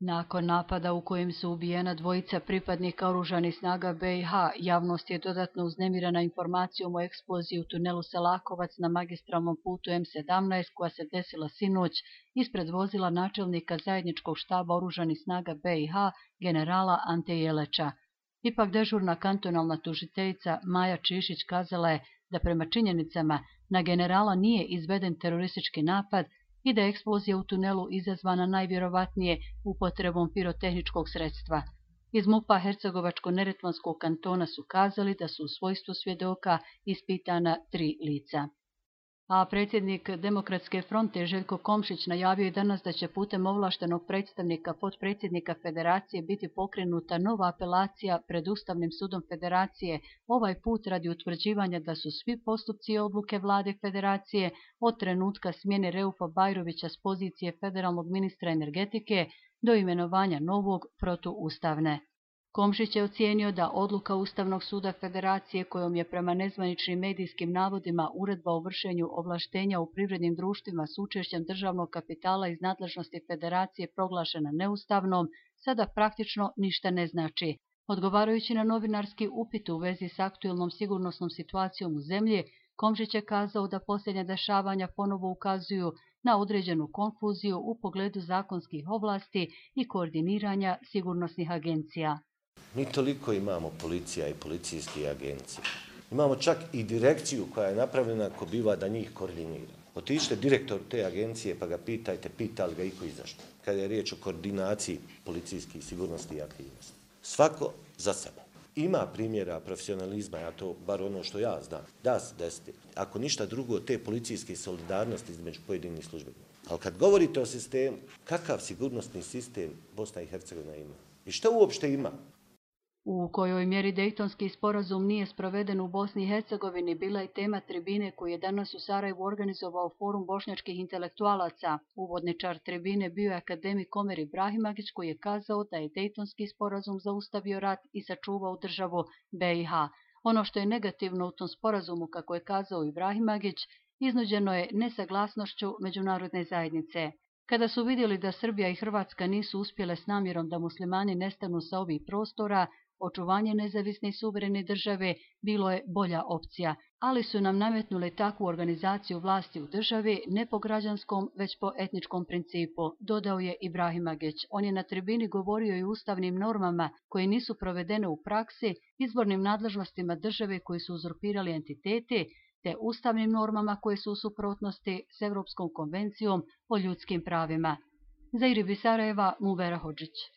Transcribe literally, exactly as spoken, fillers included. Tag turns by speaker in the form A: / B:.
A: Nakon napada u kojem su ubijena dvojica pripadnika oružanih snaga be i ha, javnost je dodatno uznemirena informacijom o eksploziji u tunelu Selakovac na magistralnom putu em sedamnaest koja se desila sinoć ispred vozila načelnika zajedničkog štaba oružanih snaga be i ha, generala Ante Jeleča. Ipak dežurna kantonalna tužiteljica Maja Čišić kazala je da prema činjenicama na generala nije izveden teroristički napad i da je eksplozija u tunelu izazvana najvjerovatnije upotrebom pirotehničkog sredstva. Iz MUP-a Hercegovačko-neretvanskog kantona su kazali da su u svojstvu svjedoka ispitana tri lica. A predsjednik Demokratske fronte Željko Komšić najavio je danas da će putem ovlaštenog predstavnika potpredsjednika Federacije biti pokrenuta nova apelacija pred Ustavnim sudom Federacije, ovaj put radi utvrđivanja da su svi postupci i odluke vlade Federacije od trenutka smjene Reufa Bajrovića s pozicije federalnog ministra energetike do imenovanja novog protuustavne. Komšić je ocijenio da odluka Ustavnog suda Federacije kojom je prema nezvaničnim medijskim navodima uredba o vršenju ovlaštenja u privrednim društvima s učešćem državnog kapitala iz nadležnosti Federacije proglašena neustavnom, sada praktično ništa ne znači. Odgovarajući na novinarski upit u vezi s aktuelnom sigurnosnom situacijom u zemlji, Komšić je kazao da posljednja dešavanja ponovo ukazuju na određenu konfuziju u pogledu zakonskih ovlasti i koordiniranja sigurnosnih agencija.
B: Mi toliko imamo policija i policijskih agencija. Imamo čak i direkciju koja je napravljena ko biva da njih koordinira. Otiđite direktor te agencije pa ga pitajte, pita li ga iko i zašto. Kada je riječ o koordinaciji policijskih sigurnosti i aktivnosti. Svako za sebe. Ima primjera profesionalizma, ja to, bar ono što ja znam, da se desiti. Ako ništa drugo, te policijske solidarnosti između pojedinih službenika. Ali kad govorite o sistemu, kakav sigurnosni sistem Bosna i Hercegovina ima? I što uopšte ima?
A: U kojoj mjeri Dejtonski sporazum nije sproveden u Bosni i Hercegovini bila je tema tribine koju je danas u Sarajevu organizovao Forum bošnjačkih intelektualaca. Uvodničar tribine bio je akademik Omer Ibrahimagić koji je kazao da je Dejtonski sporazum zaustavio rat i sačuvao državu be i ha. Ono što je negativno u tom sporazumu, kako je kazao Ibrahimagić, iznuđeno je nesaglasnošću međunarodne zajednice. Kada su vidjeli da Srbija i Hrvatska nisu uspjele s namjerom da muslimani nestanu sa ovih prostora, očuvanje nezavisne i suverene države bilo je bolja opcija, ali su nam nametnuli takvu organizaciju vlasti u državi ne po građanskom, već po etničkom principu, dodao je Ibrahimagić. On je na tribini govorio i o ustavnim normama koje nisu provedene u praksi, izbornim nadležnostima države koji su uzurpirali entiteti, te ustavnim normama koje su u suprotnosti s Europskom konvencijom o ljudskim pravima. Za Iribi Sarajeva, Mubera Hodžić.